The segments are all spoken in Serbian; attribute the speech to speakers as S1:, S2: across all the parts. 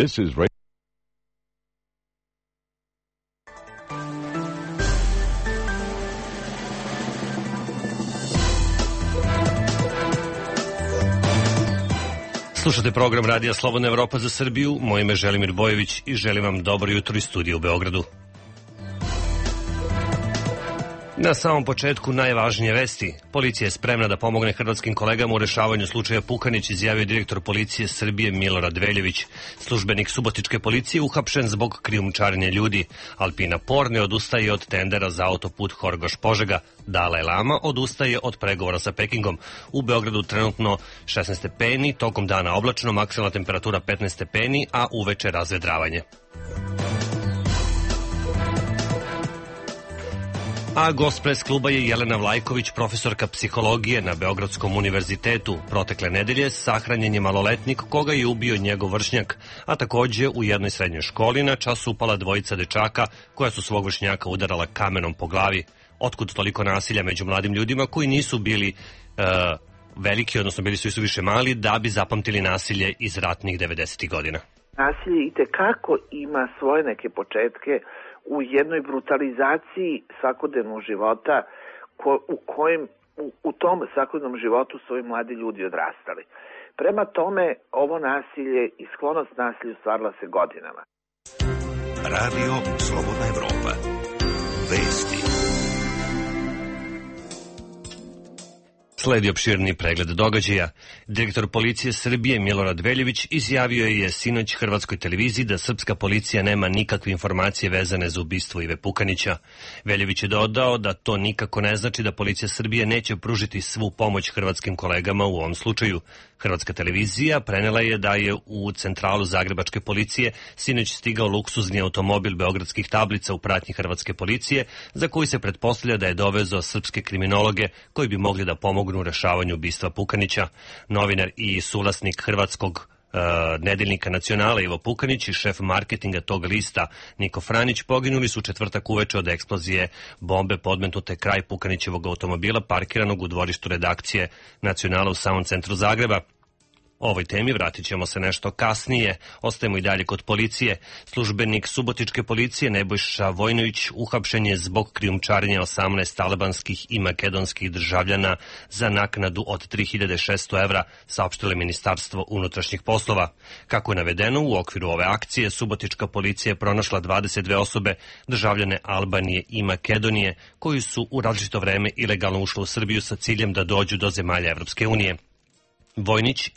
S1: This is Radio.
S2: Slušate program Radija Slobodna Evropa za Srbiju. Moje ime je Želimir Bojović i želim vam dobro jutro iz studija u Beogradu. Na samom početku najvažnije vesti. Policija je spremna da pomogne hrvatskim kolegama u rešavanju slučaja Pukanić, izjavio direktor policije Srbije Milorad Veljević. Službenik subotičke policije uhapšen zbog krijumčarenja ljudi. Alpina Por ne odustaje od tendera za autoput Horgoš-Požega. Dalaj Lama odustaje od pregovora sa Pekingom. U Beogradu trenutno 16 stepeni, tokom dana oblačno, maksimalna temperatura 15 stepeni, a uveče razvedravanje. A gost pres kluba je Jelena Vlajković, profesorka psihologije na Beogradskom univerzitetu. Protekle nedelje sahranjen je maloletnik koga je ubio njegov vršnjak, a takođe u jednoj srednjoj školi na čas upala dvojica dečaka koja su svog vršnjaka udarala kamenom po glavi. Otkud toliko nasilja među mladim ljudima koji nisu bili veliki, odnosno bili su više mali, da bi zapamtili nasilje iz ratnih 90. godina?
S3: Nasilje itekako ima svoje neke početke u jednoj brutalizaciji svakodnevnog života u tom svakodnevnom životu su ovi mladi ljudi odrastali. Prema tome, ovo nasilje i sklonost nasilju stvarala se godinama.
S4: Radio Slobodna Evropa. Vesti.
S2: Sledi opširni pregled događaja. Direktor policije Srbije Milorad Veljević izjavio je sinoć Hrvatskoj televiziji da srpska policija nema nikakve informacije vezane za ubistvo Ive Pukanića. Veljević je dodao da to nikako ne znači da policija Srbije neće pružiti svu pomoć hrvatskim kolegama u ovom slučaju. Hrvatska televizija prenela je da je u centralu zagrebačke policije sinoć stigao luksuzni automobil beogradskih tablica u pratnji hrvatske policije, za koji se pretpostavlja da je dovezao srpske kriminologe koji bi mogli da pomognu u rešavanju ubistva Pukanića. Novinar i suvlasnik hrvatskog nedeljnika Nacionala Ivo Pukanić i šef marketinga tog lista Niko Franić poginuli su četvrtak uveče od eksplozije bombe podmetnute kraj Pukanićevog automobila parkiranog u dvorištu redakcije Nacionala u samom centru Zagreba. O ovoj temi vratit ćemo se nešto kasnije. Ostajemo i dalje kod policije. Službenik subotičke policije Nebojša Vojnović uhapšen je zbog krijumčarenja 18 albanskih i makedonskih državljana za naknadu od 3600 evra, saopštilo Ministarstvo unutrašnjih poslova. Kako je navedeno, u okviru ove akcije subotička policija je pronašla 22 osobe, državljane Albanije i Makedonije, koji su u različito vreme ilegalno ušli u Srbiju sa ciljem da dođu do zemalja Evropske unije. Vojnić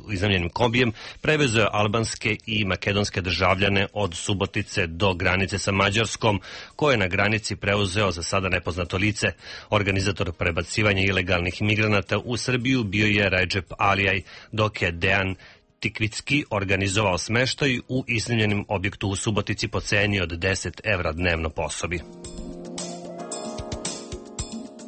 S2: iznajmljenim kombijem prevezao je albanske i makedonske državljane od Subotice do granice sa Mađarskom, koje je na granici preuzeo za sada nepoznato lice. Organizator prebacivanja ilegalnih migranata u Srbiju bio je Recep Alijaj, dok je Dejan Tikvicki organizovao smeštaj u iznajmljenim objektu u Subotici po ceni od 10 evra dnevno po osobi.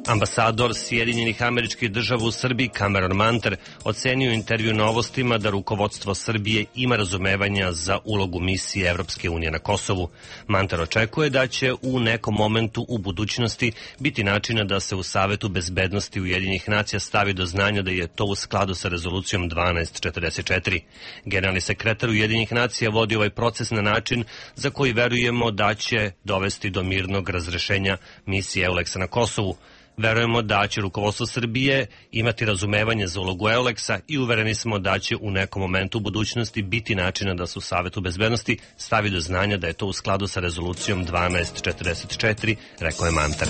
S2: Ambasador Sjedinjenih Američkih Država u Srbiji Cameron Manter ocenio intervju Novostima da rukovodstvo Srbije ima razumevanja za ulogu misije Evropske unije na Kosovu. Manter očekuje da će u nekom momentu u budućnosti biti načina da se u Savetu bezbednosti Ujedinjenih nacija stavi do znanja da je to u skladu sa rezolucijom 1244. Generalni sekretar Ujedinjenih nacija vodi ovaj proces na način za koji verujemo da će dovesti do mirnog razrešenja misije EULEX-a na Kosovu. Verujemo da će rukovodstvo Srbije imati razumevanje za ulogu EULEX-a i uvereni smo da će u nekom momentu u budućnosti biti načina da se u Savetu bezbednosti stavi do znanja da je to u skladu sa rezolucijom 1244, rekao je Manter.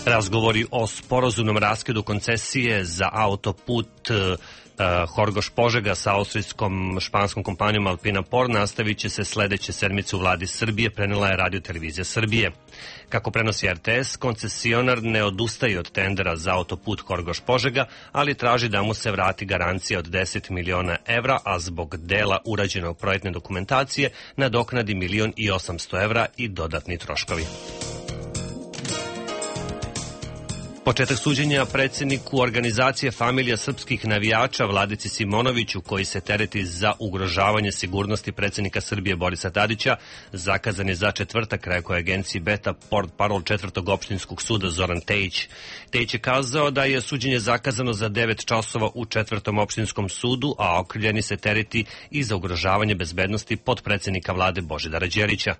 S2: Razgovori o sporazumnom raskidu koncesije za autoput Horgoš-Požega sa austrijskom španskom kompanijom Alpina Por nastavit će se sledeće sedmice u vladi Srbije, prenela je Radio televizija Srbije. Kako prenosi RTS, koncesionar ne odustaje od tendera za autoput Horgoš-Požega, ali traži da mu se vrati garancija od 10 miliona evra, a zbog dela urađenog projektne dokumentacije nadoknadi 1.800.000 evra i dodatni troškovi. Početak suđenja predsjedniku organizacije Familija srpskih navijača Vladici Simonoviću, koji se tereti za ugrožavanje sigurnosti predsjednika Srbije Borisa Tadića, zakazan je za četvrtak, rekao je agenciji Beta portparol četvrtog opštinskog suda Zoran Tejić. Tejić je kazao da je suđenje zakazano za 9 časova u četvrtom opštinskom sudu, a okrivljeni se tereti i za ugrožavanje bezbednosti potpredsjednika vlade Božidara Đelića.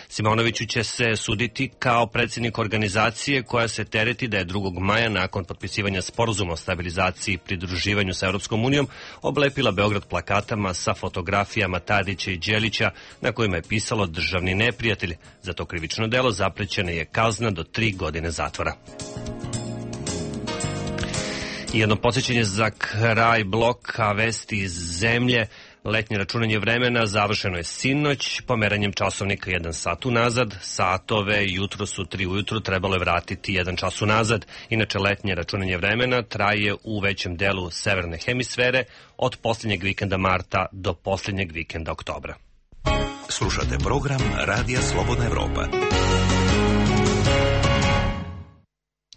S2: Simonoviću će se suditi kao predsjednik organizacije koja se tereti da je 2. maja nakon potpisivanja sporazuma o stabilizaciji i pridruživanju sa Europskom unijom oblepila Beograd plakatama sa fotografijama Tadića i Đelića na kojima je pisalo državni neprijatelj. Za to krivično delo zaprećena je kazna do 3 godine zatvora. I jedno podsjećanje za kraj bloka vesti iz zemlje. Letnje računanje vremena završeno je sinoć pomeranjem časovnika 1 sat unazad. Satove jutro su 3 ujutru, trebalo je vratiti 1 čas unazad. Inače, letnje računanje vremena traje u većem delu severne hemisfere od posljednjeg vikenda marta do posljednjeg vikenda oktobra.
S4: Slušate program Radija Slobodna Evropa.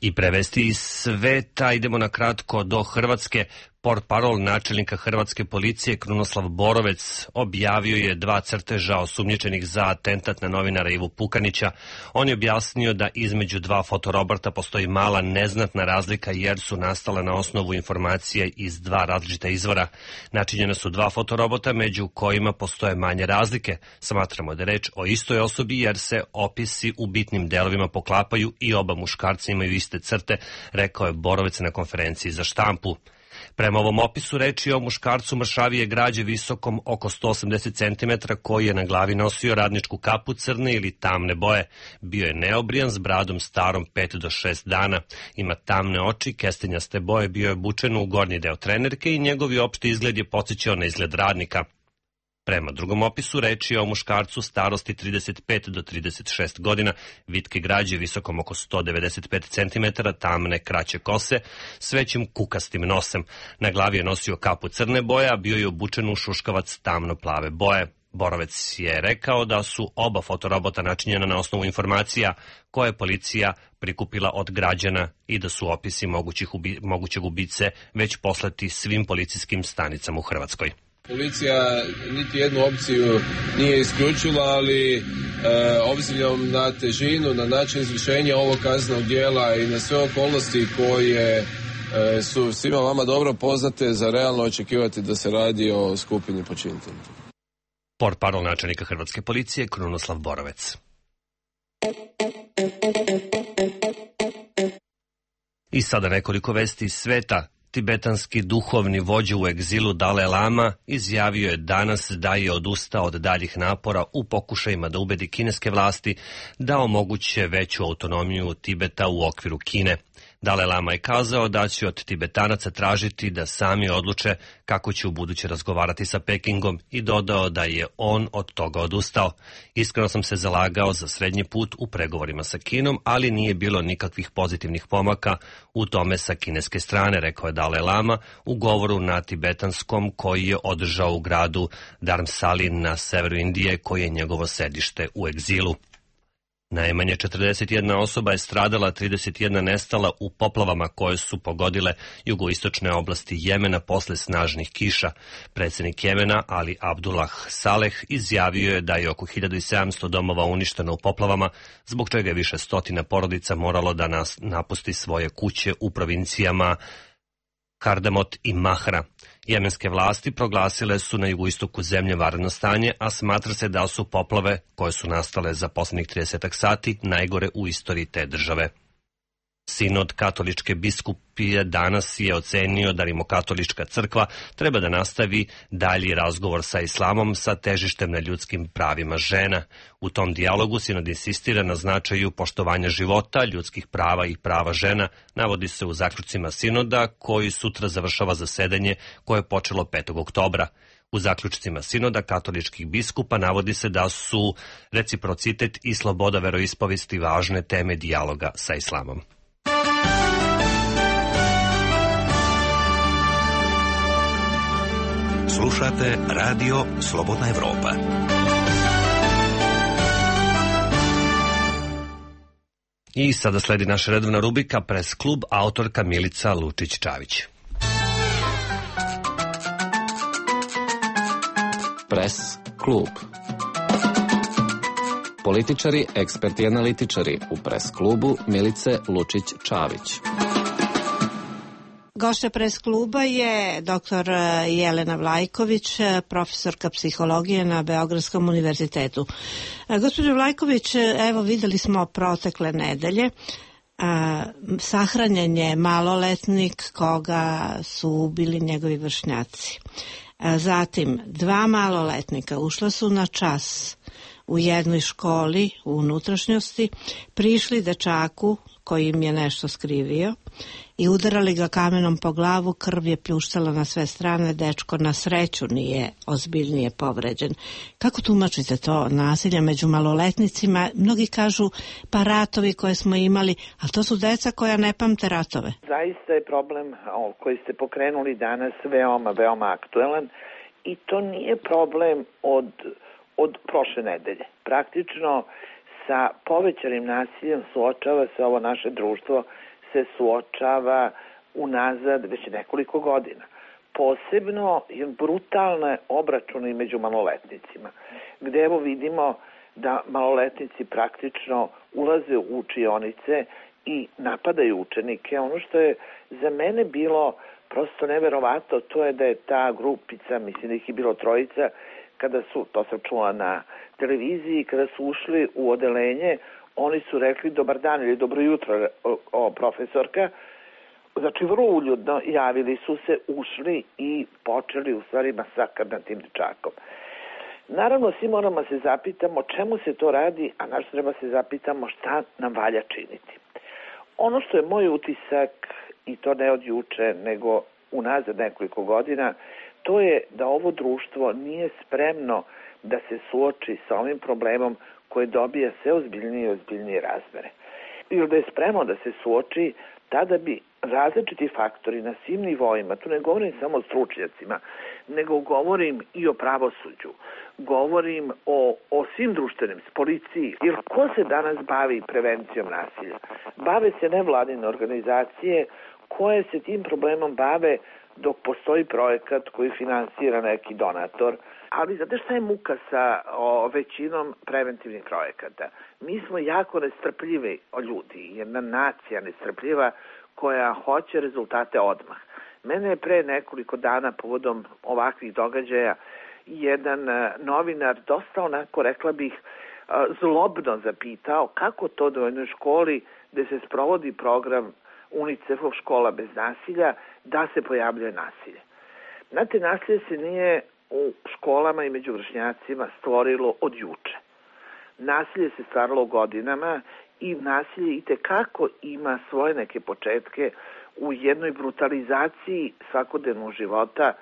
S2: I prevesti iz sveta idemo na kratko do Hrvatske. Portparol načelnika hrvatske policije Krunoslav Borovec objavio je 2 crteža osumnjičenih za atentat na novinara Ivu Pukanića. On je objasnio da između 2 fotoroborta postoji mala neznatna razlika jer su nastale na osnovu informacije iz 2 različita izvora. Načinjena su 2 fotorobota među kojima postoje manje razlike. Smatramo da je reč o istoj osobi jer se opisi u bitnim delovima poklapaju i oba muškarca imaju iste crte, rekao je Borovec na konferenciji za štampu. Prema ovom opisu reč je o muškarcu mršavije građe visokom oko 180 cm koji je na glavi nosio radničku kapu crne ili tamne boje. Bio je neobrijan s bradom starom 5 do 6 dana. Ima tamne oči, kestenjaste boje, bio je obučen u gornji deo trenerke i njegovi opšti izgled je podsjećao na izgled radnika. Prema drugom opisu reč je o muškarcu starosti 35 do 36 godina, vitke građe visokom oko 195 cm, tamne kraće kose, s većim kukastim nosem. Na glavi je nosio kapu crne boje, a bio je obučen u šuškavac tamno-plave boje. Borovec je rekao da su oba fotorobota načinjena na osnovu informacija koje je policija prikupila od građana i da su opisi mogućeg ubice već poslati svim policijskim stanicama u Hrvatskoj.
S1: Policija niti jednu opciju nije isključila, ali obzirom na težinu, na način izvršenja ovog kaznenog djela i na sve okolnosti koje su svima vama dobro poznate, za realno očekivati da se radi o skupini počinitelja.
S2: Portparol načelnika hrvatske policije Krunoslav Borovec. I sada nekoliko vesti iz sveta. Tibetanski duhovni vođa u egzilu Dalaj Lama izjavio je danas da je odustao od daljih napora u pokušajima da ubedi kineske vlasti da omoguće veću autonomiju Tibeta u okviru Kine. Dalaj Lama je kazao da će od Tibetanaca tražiti da sami odluče kako će ubuduće razgovarati sa Pekingom i dodao da je on od toga odustao. Iskreno sam se zalagao za srednji put u pregovorima sa Kinom, ali nije bilo nikakvih pozitivnih pomaka u tome sa kineske strane, rekao je Dalaj Lama u govoru na tibetanskom koji je održao u gradu Dharamsali na severu Indije, koji je njegovo sedište u egzilu. Najmanje 41 osoba je stradala, 31 nestala u poplavama koje su pogodile jugoistočne oblasti Jemena posle snažnih kiša. Predsjednik Jemena Ali Abdullah Saleh izjavio je da je oko 1700 domova uništeno u poplavama, zbog čega je više stotina porodica moralo da napusti svoje kuće u provincijama Hardamot i Mahra. Jemenske vlasti proglasile su na jugoistoku zemlje vanredno stanje, a smatra se da su poplave koje su nastale za posljednjih 30 sati najgore u istoriji te države. Sinod katoličke biskupije danas je ocenio da Rimokatolička crkva treba da nastavi dalji razgovor sa islamom sa težištem na ljudskim pravima žena. U tom dijalogu sinod insistira na značaju poštovanja života, ljudskih prava i prava žena, navodi se u zaključcima sinoda koji sutra završava zasedanje koje je počelo 5. oktobra. U zaključcima sinoda katoličkih biskupa navodi se da su reciprocitet i sloboda veroispovesti važne teme dijaloga sa islamom.
S4: Slušate Radio Slobodna Evropa.
S2: I sada sledi naša redovna rubrika Pres klub, autorka Milica Lučić-Čavić.
S5: Pres klub. Političari, eksperti i analitičari u Pres klubu Milice Lučić-Čavić.
S6: Gošća Pres kluba je dr. Jelena Vlajković, profesorka psihologije na Beogradskom univerzitetu. Gospođo Vlajković, evo videli smo protekle nedelje, sahranjen je maloletnik koga su ubili njegovi vršnjaci. Zatim, 2 maloletnika ušla su na čas u jednoj školi u unutrašnjosti, prišli dečaku koji im je nešto skrivio i udarali ga kamenom po glavu, krv je pljuštala na sve strane, dečko na sreću nije ozbiljnije povređen. Kako tumačite to nasilje među maloletnicima? Mnogi kažu pa ratovi koje smo imali, ali to su deca koja ne pamte ratove.
S3: Zaista je problem koji ste pokrenuli danas veoma aktuelan i to nije problem od prošle nedelje. Praktično sa povećanim nasiljem suočava se ovo naše društvo, se suočava unazad već nekoliko godina. Posebno je brutalne obračune među maloletnicima, gde evo vidimo da maloletnici praktično ulaze u učionice i napadaju učenike. Ono što je za mene bilo prosto neverovatno, to je da je ta grupica, mislim da ih je bilo 3, kada su, to sam čula na televiziji, kada su ušli u odelenje, oni su rekli dobar dan ili dobro jutro, profesorka. Znači, vrlo uljudno javili su se, ušli i počeli u stvari masakr nad tim dečakom. Naravno, svi moramo se zapitamo čemu se to radi, a naš treba se zapitamo šta nam valja činiti. Ono što je moj utisak, i to ne od juče, nego unazad nekoliko godina, to je da ovo društvo nije spremno da se suoči sa ovim problemom koji dobija sve ozbiljnije i ozbiljnije razmere. Ili da je spremno da se suoči, tada bi različiti faktori na svim nivoima, tu ne govorim samo o stručnjacima, nego govorim i o pravosuđu, govorim o svim društvenim, policiji. Jer ko se danas bavi prevencijom nasilja? Bave se nevladine organizacije koje se tim problemom bave dok postoji projekat koji finansira neki donator. Ali znate šta je muka sa većinom preventivnih projekata? Mi smo jako nestrpljivi ljudi, jedna nacija nestrpljiva koja hoće rezultate odmah. Mene je pre nekoliko dana povodom ovakvih događaja jedan novinar dosta onako, rekla bih, zlobno zapitao kako to da u jednoj školi gde se sprovodi program UNICEF-ov škola bez nasilja, da se pojavljuje nasilje. Znate, nasilje se nije u školama i među vršnjacima stvorilo od juče. Nasilje se stvaralo godinama i nasilje itekako ima svoje neke početke u jednoj brutalizaciji svakodnevnog života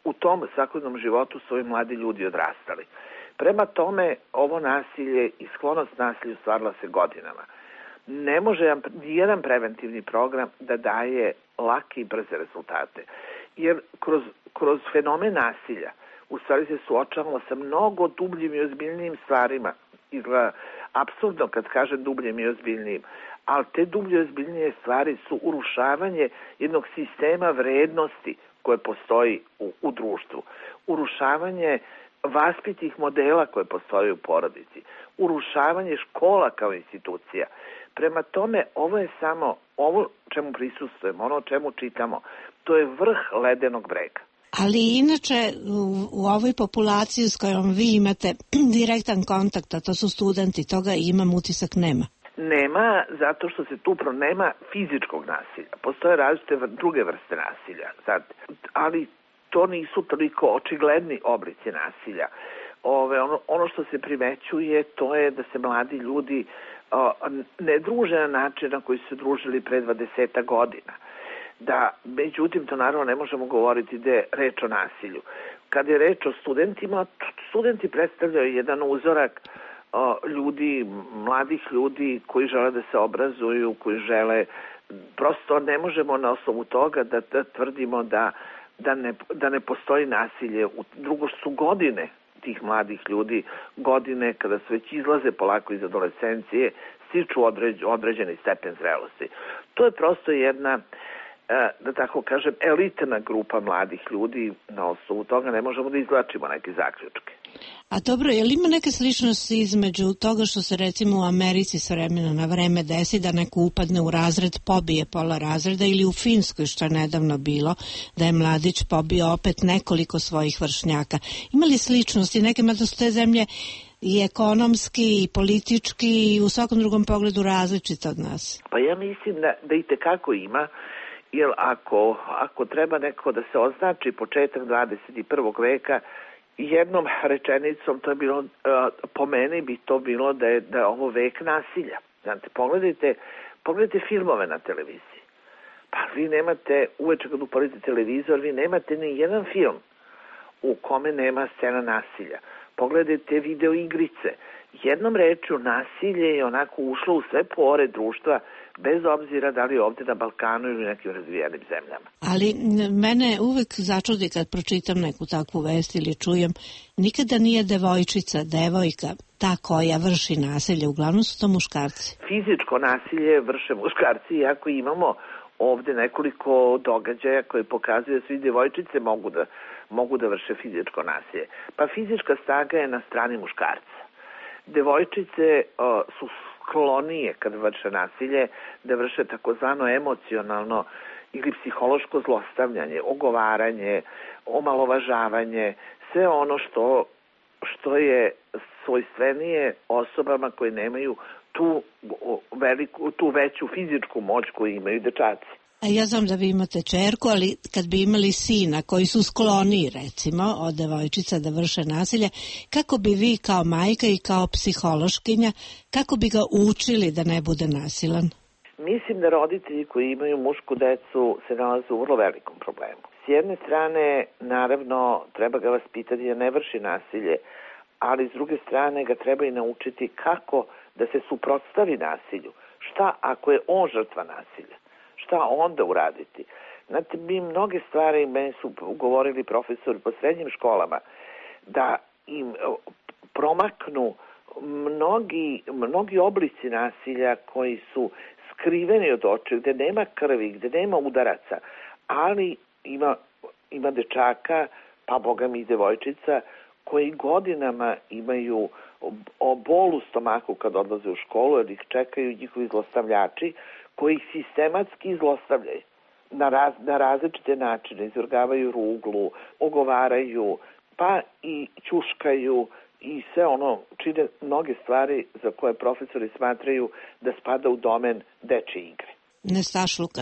S3: u tom svakodnevnom životu su ovi mladi ljudi odrastali. Prema tome, ovo nasilje i sklonost nasilju stvarala se godinama. Ne može nijedan preventivni program da daje lake i brze rezultate. Jer kroz fenomen nasilja u stvari se suočavamo sa mnogo dubljim i ozbiljnijim stvarima. Izgleda apsurdno kad kažem dubljim i ozbiljnijim, ali te dublje i ozbiljnije stvari su urušavanje jednog sistema vrednosti koje postoji u društvu. Urušavanje vaspitnih modela koje postoje u porodici. Urušavanje škola kao institucija. Prema tome, ovo je samo ovo čemu prisustvujemo, ono čemu čitamo. To je vrh ledenog brega.
S6: Ali inače u ovoj populaciji s kojom vi imate direktan kontakt, a to su studenti, toga imam utisak nema.
S3: Nema, zato što se tu nema fizičkog nasilja. Postoje različite druge vrste nasilja, ali to nisu toliko očigledni oblici nasilja. Ono što se primećuje, to je da se mladi ljudi ne druže na način na koji su se družili pre 20 godina. Međutim, to naravno ne možemo govoriti da je reč o nasilju. Kad je reč o studentima, studenti predstavljaju jedan uzorak ljudi, mladih ljudi koji žele da se obrazuju, koji žele, prosto ne možemo na osnovu toga da tvrdimo da ne postoji nasilje. Drugo su godine tih mladih ljudi, godine kada se već izlaze polako iz adolescencije, stiču određeni stepen zrelosti. To je prosto jedna, da tako kažem, elitna grupa mladih ljudi. Na osnovu toga ne možemo da izvlačimo neke zaključke.
S6: A dobro, je li ima neke sličnosti između toga što se recimo u Americi s vremena na vreme desi da neko upadne u razred, pobije pola razreda, ili u Finskoj, što je nedavno bilo, da je mladić pobio opet nekoliko svojih vršnjaka? Ima li sličnosti? Neke, mada su te zemlje i ekonomski, i politički, i u svakom drugom pogledu različite od nas?
S3: Pa ja mislim da i tekako ima, jer ako treba neko da se označi početak 21. veka, jednom rečenicom, to je bilo, po meni bi to bilo da je ovo vek nasilja. Znate, pogledajte filmove na televiziji. Pa vi nemate, uveče kad upalite televizor, vi nemate ni jedan film u kome nema scena nasilja. Pogledajte video igrice. Jednom rečju, nasilje je onako ušlo u sve pore društva, bez obzira da li je ovde na Balkanu ili nekim razvijenim zemljama.
S6: Ali mene uvek začudi kad pročitam neku takvu vest ili čujem, nikada nije devojka, ta koja vrši nasilje, uglavnom su to muškarci.
S3: Fizičko nasilje vrše muškarci, iako imamo ovde nekoliko događaja koje pokazuju da svi devojčice mogu da vrše fizičko nasilje. Pa fizička snaga je na strani muškarca. Devojčice su sklonije kad vrše nasilje, da vrše takozvano emocionalno ili psihološko zlostavljanje, ogovaranje, omalovažavanje, sve ono što je svojstvenije osobama koje nemaju tu veću fizičku moć koju imaju dečaci.
S6: A ja znam da vi imate čerku, ali kad bi imali sina koji su skloniji, recimo, od devojčica da vrše nasilje, kako bi vi kao majka i kao psihološkinja, kako bi ga učili da ne bude nasilan?
S3: Mislim da roditelji koji imaju mušku decu se nalaze u vrlo velikom problemu. S jedne strane, naravno, treba ga vaspitati da ne vrši nasilje, ali s druge strane ga treba i naučiti kako da se suprotstavi nasilju. Šta ako je on žrtva nasilja? Šta onda uraditi? Znate, mi mnoge stvari, meni su govorili profesori po srednjim školama, da im promaknu mnogi oblici nasilja koji su skriveni od očiju, gde nema krvi, gde nema udaraca, ali ima dečaka, pa boga mi i devojčica, koji godinama imaju bol u stomaku kad odlaze u školu, jer ih čekaju njihovi zlostavljači, koji ih sistematski zlostavljaju na različite načine, izvrgavaju ruglu, ogovaraju, pa i ćuškaju i sve ono, čine mnoge stvari za koje profesori smatraju da spada u domen dečje igre.
S6: Nestašluka.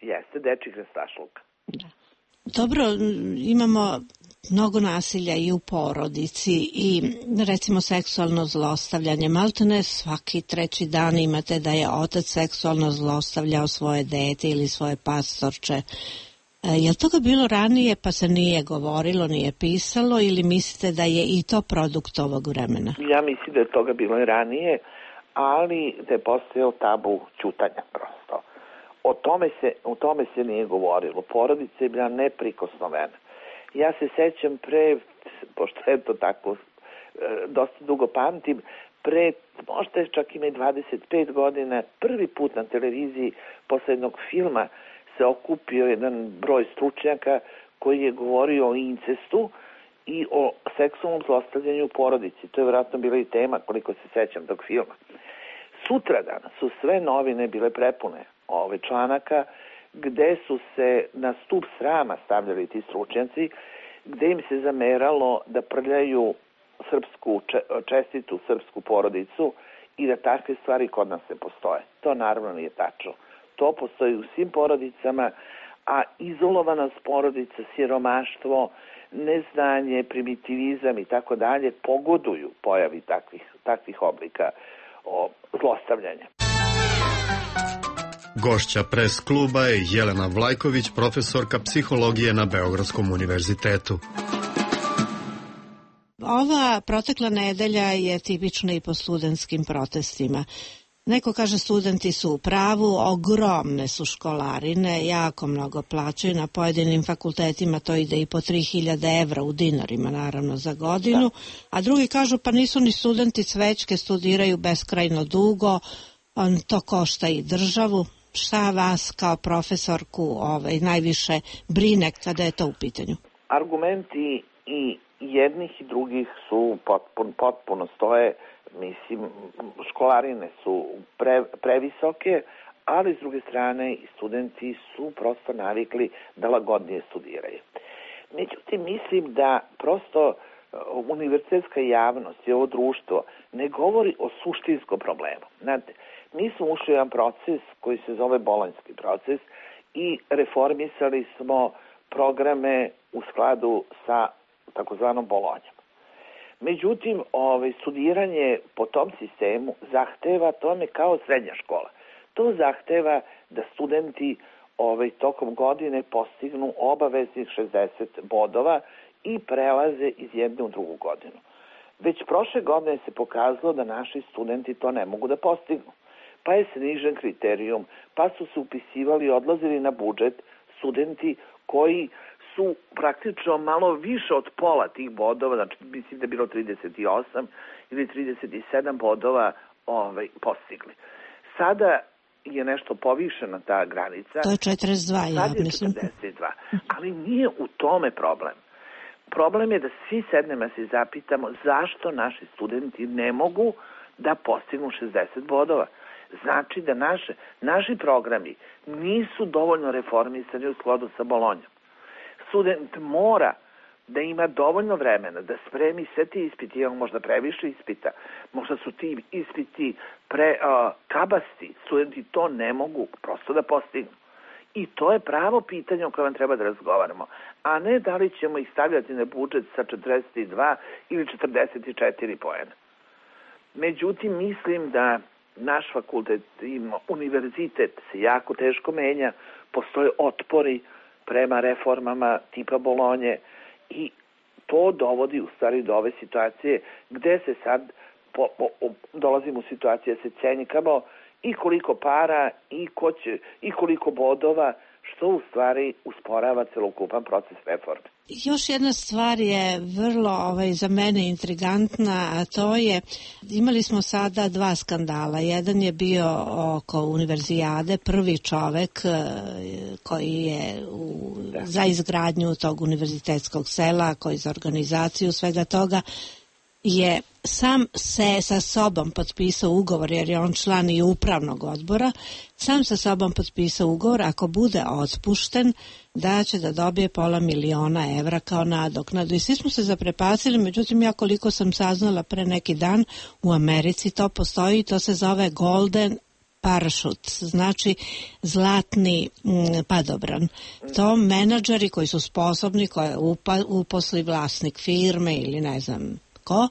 S3: Jeste, dečjih nestašluka.
S6: Da. Dobro, imamo mnogo nasilja i u porodici i recimo seksualno zlostavljanje. Maltene svaki treći dan imate da je otac seksualno zlostavljao svoje dete ili svoje pastorče. Je li toga bilo ranije pa se nije govorilo, nije pisalo, ili mislite da je i to produkt ovog vremena? Ja
S3: mislim da je toga bilo i ranije, ali da je postojao tabu ćutanja prosto. O tome se nije govorilo. Porodica je bila neprikosnovena. Ja se sećam pošto je to tako, dosta dugo pamtim, možda je čak ima i 25 godina, prvi put na televiziji posle jednog filma se okupio jedan broj stručnjaka koji je govorio o incestu i o seksualnom zlostavljanju u porodici. To je vjerojatno bila i tema, koliko se sećam tog filma. Sutradan su sve novine bile prepune članaka gde su se na stup srama stavljali ti stručnjaci, gde im se zameralo da prljaju čestitu srpsku porodicu i da takve stvari kod nas ne postoje. To naravno nije tačno. To postoji u svim porodicama, a izolovanost porodica, siromaštvo, neznanje, primitivizam i tako dalje pogoduju pojavi takvih oblika zlostavljanja.
S7: Gošća Press kluba je Jelena Vlajković, profesorka psihologije na Beogradskom univerzitetu.
S6: Ova protekla nedelja je tipična i po studentskim protestima. Neko kaže studenti su u pravu, ogromne su školarine, jako mnogo plaćaju, na pojedinim fakultetima to ide i po 3000 evra u dinarima, naravno, za godinu, a drugi kažu pa nisu ni studenti cvećke, studiraju beskrajno dugo, to košta i državu. Šta vas kao profesorku najviše brine kada je to u pitanju?
S3: Argumenti i jednih i drugih su potpuno stoje. Mislim, školarine su previsoke, ali s druge strane i studenti su prosto navikli da lagodnije studiraju. Međutim, mislim da prosto univerzitetska javnost i ovo društvo ne govori o suštinskom problemu. Znate, mi smo ušli u jedan proces koji se zove bolonjski proces i reformisali smo programe u skladu sa takozvanom Bolonjom. Međutim, studiranje po tom sistemu zahteva tome kao srednja škola. To zahteva da studenti tokom godine postignu obaveznih 60 bodova i prelaze iz jedne u drugu godinu. Već prošle godine se pokazalo da naši studenti to ne mogu da postignu. Pa je snižen kriterijum, pa su se upisivali i odlazili na budžet studenti koji su praktično malo više od pola tih bodova, znači mislim da je bilo 38 ili 37 bodova postigli. Sada je nešto povišena ta granica.
S6: To je 42, ja mislim.
S3: Sad je 42, ali nije u tome problem. Problem je da svi sednemo se zapitamo zašto naši studenti ne mogu da postignu 60 bodova. Znači da naši programi nisu dovoljno reformisani u skladu sa Bolonjom. Student mora da ima dovoljno vremena da spremi sve ti ispiti, imamo možda previše ispita, možda su ti ispiti kabasti, studenti to ne mogu prosto da postignu. I to je pravo pitanje o kojem treba da razgovaramo, a ne da li ćemo ih stavljati na budžet sa 42 ili 44 poena. Međutim, mislim da naš fakultet i univerzitet se jako teško menja, postoje otpori prema reformama tipa Bolonje i to dovodi u stvari do ove situacije gde se sad dolazimo u situaciju da se cenjikamo i koliko para i koliko bodova, što u stvari usporava celokupan proces reforme.
S6: Još jedna stvar je vrlo za mene intrigantna, a to je, imali smo sada 2 skandala. Jedan je bio oko univerzijade, prvi čovek koji je za izgradnju tog univerzitetskog sela, koji za organizaciju svega toga, je sam se sa sobom potpisao ugovor, jer je on član i upravnog odbora, sam sa sobom potpisao ugovor, ako bude otpušten, da će da dobije $500.000 evra kao nadoknadu. I svi smo se zaprepasili, međutim ja koliko sam saznala pre neki dan, u Americi to postoji, to se zove Golden Parachute, znači zlatni padobran. To menadžeri koji su sposobni, koje uposli vlasnik firme ili ne znam ko,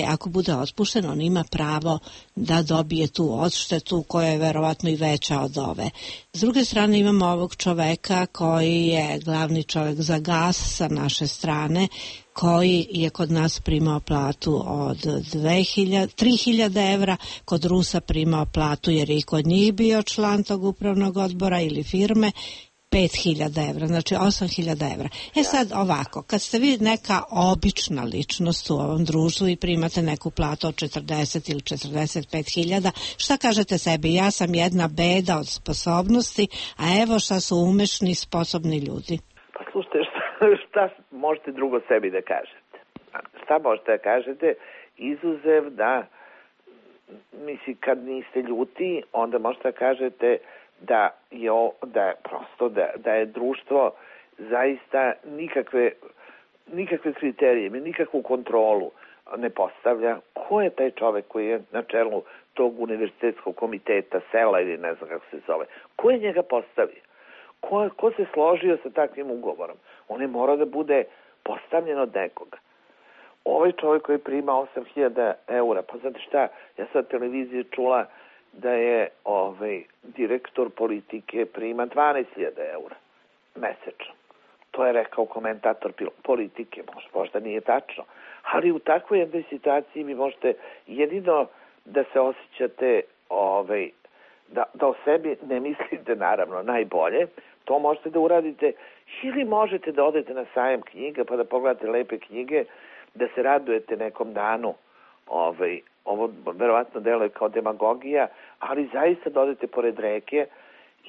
S6: ako bude otpušten, on ima pravo da dobije tu odštetu koja je verovatno i veća od ove. S druge strane imamo ovog čoveka koji je glavni čovek za gas sa naše strane, koji je kod nas primao platu od 3.000 evra, kod Rusa primao platu jer je i kod njih bio član tog upravnog odbora ili firme, 5.000 evra, znači 8.000 evra. Sad ovako, kad ste vi neka obična ličnost u ovom društvu i primate neku platu od 40 ili 45.000, šta kažete sebi? Ja sam jedna beda od sposobnosti, a evo šta su umešni, sposobni ljudi.
S3: Pa slušajte, šta možete drugo sebi da kažete? Šta možete da kažete? Izuzev da, mislim, kad niste ljuti, onda možete da kažete da je društvo zaista nikakve kriterije, nikakvu kontrolu ne postavlja. Ko je taj čovek koji je na čelu tog univerzitetskog komiteta, sela ili ne znam kako se zove? Ko je njega postavio? Ko se složio sa takvim ugovorom? On je morao da bude postavljen od nekoga. Ovaj čovek koji prima 8.000 eura, pa znate šta, ja sad televiziji čula da je direktor politike prima 12.000 eura mesečno. To je rekao komentator politike, možda nije tačno. Ali u takvoj jednoj situaciji vi možete jedino da se osjećate, da o sebi ne mislite naravno najbolje, to možete da uradite ili možete da odete na sajam knjiga pa da pogledate lepe knjige, da se radujete nekom danu ovo verovatno deluje kao demagogija, ali zaista da odete pored reke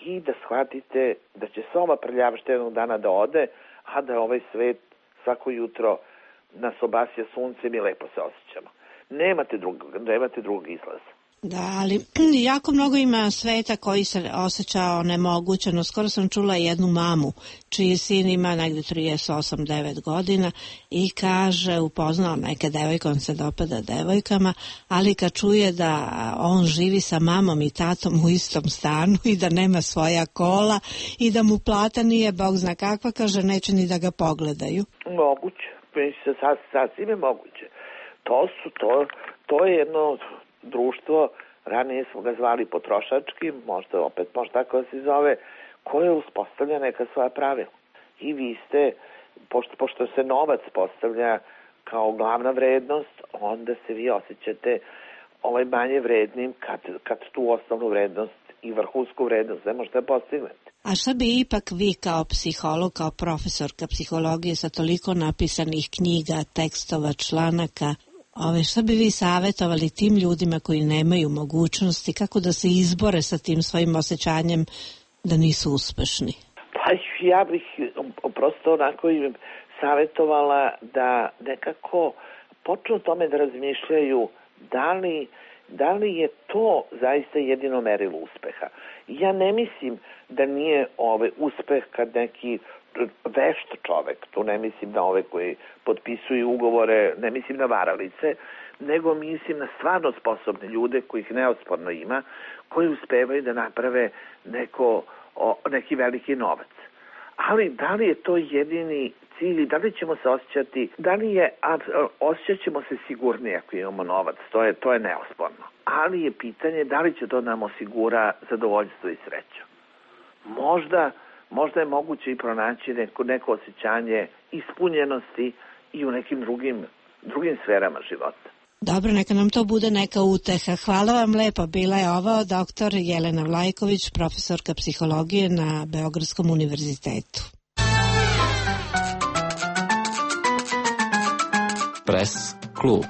S3: i da shvatite da će sva prljavština jednog dana da ode, a da ovaj svet svako jutro nas obasja suncem i lepo se osjećamo. Nemate drugog izlaza.
S6: Da, ali jako mnogo ima sveta koji se osjećao nemogućeno. Skoro sam čula jednu mamu čiji sin ima negde 38-9 godina i kaže, upoznao neke devojke, on se dopada devojkama, ali kad čuje da on živi sa mamom i tatom u istom stanu i da nema svoja kola i da mu plata nije bog zna kakva, kaže, neće ni da ga pogledaju.
S3: Moguće, sasvim je moguće. To je jedno društvo, ranije smo ga zvali potrošački, možda tako da se zove, koje uspostavlja neka svoja pravila. I vi ste, pošto se novac postavlja kao glavna vrednost, onda se vi osjećate manje vrednim kad tu osnovnu vrednost i vrhunsku vrednost ne možete postignete.
S6: A šta bi ipak vi kao psiholog, kao profesorka psihologije sa toliko napisanih knjiga, tekstova, članaka, šta bi vi savjetovali tim ljudima koji nemaju mogućnosti, kako da se izbore sa tim svojim osjećanjem da nisu uspešni?
S3: Pa ja bih prosto onako im savjetovala da nekako počnu o tome da razmišljaju da li je to zaista jedino merilo uspeha. Ja ne mislim da nije uspeh kad neki vešt čovek, tu ne mislim na ove koji potpisuju ugovore, ne mislim na varalice, nego mislim na stvarno sposobne ljude kojih neosporno ima, koji uspevaju da naprave neki veliki novac. Ali da li je to jedini cilj, da li ćemo se osjećati, osjećat ćemo se sigurnije ako imamo novac, to je neosporno. Ali je pitanje da li će to nam osigura zadovoljstvo i sreću. Možda je moguće i pronaći neko osjećanje ispunjenosti i u nekim drugim sferama života.
S6: Dobro, neka nam to bude neka uteha. Hvala vam lepo. Bila je ovo doktor Jelena Vlajković, profesorka psihologije na Beogradskom univerzitetu.
S5: Press klub.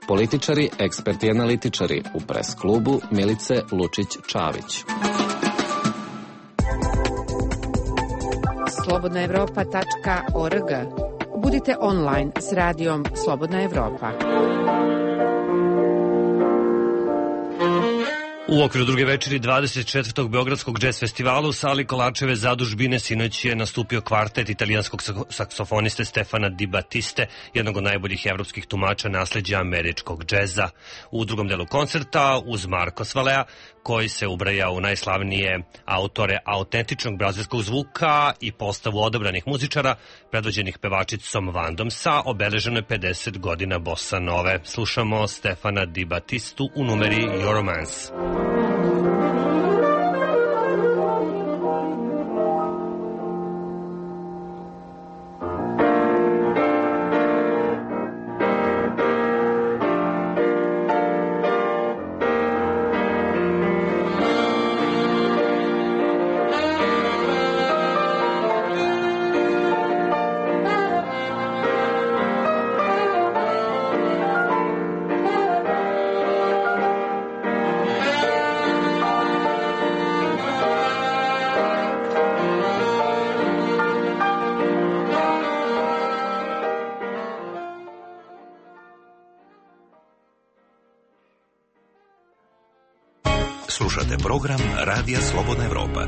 S5: Političari, eksperti i analitičari u Press klubu Milice Lučić-Čavić.
S8: slobodnaevropa.org. Budite online s radijom Slobodna Evropa.
S2: U okviru druge večeri 24. Beogradskog džez festivala u sali Kolačeve zadužbine sinoć je nastupio kvartet italijanskog saksofoniste Stefana Di Battiste, jednog od najboljih evropskih tumača nasleđa američkog džeza. U drugom delu koncerta uz Marko Svalea, koji se ubraja u najslavnije autore autentičnog brazilskog zvuka i postavu odabranih muzičara, predvođenih pevačicom Vandom sa obeleženo je 50 godina bossa nove. Slušamo Stefana Di Battistu u numeri Your Romance.
S4: Slušate program Radija Slobodna Evropa.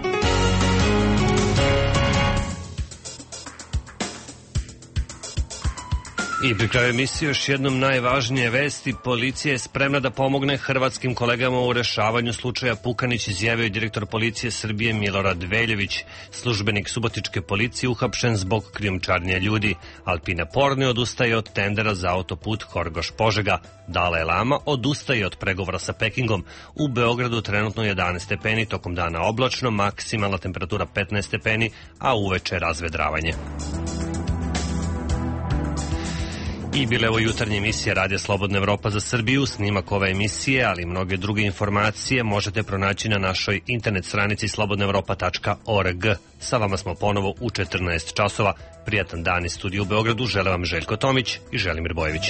S2: I pri kraju emisije još jednom najvažnije vesti. Policija je spremna da pomogne hrvatskim kolegama u rešavanju slučaja Pukanić, izjavio je direktor policije Srbije Milorad Veljević. Službenik subotičke policije uhapšen zbog krijumčarenja ljudi. Alpina Porni odustaje od tendera za autoput Horgoš-Požega. Dalaj Lama odustaje od pregovora sa Pekingom. U Beogradu trenutno 11 stepeni, tokom dana oblačno, maksimalna temperatura 15 stepeni, a uveče razvedravanje. I bile ovo jutarnje emisije Radija Slobodna Evropa za Srbiju. Snimak ove emisije, ali i mnoge druge informacije možete pronaći na našoj internet stranici slobodnaevropa.org. Sa vama smo ponovo u 14 časova. Prijatan dan iz studija u Beogradu. Žele vam Željko Tomić i Želimir Bojević.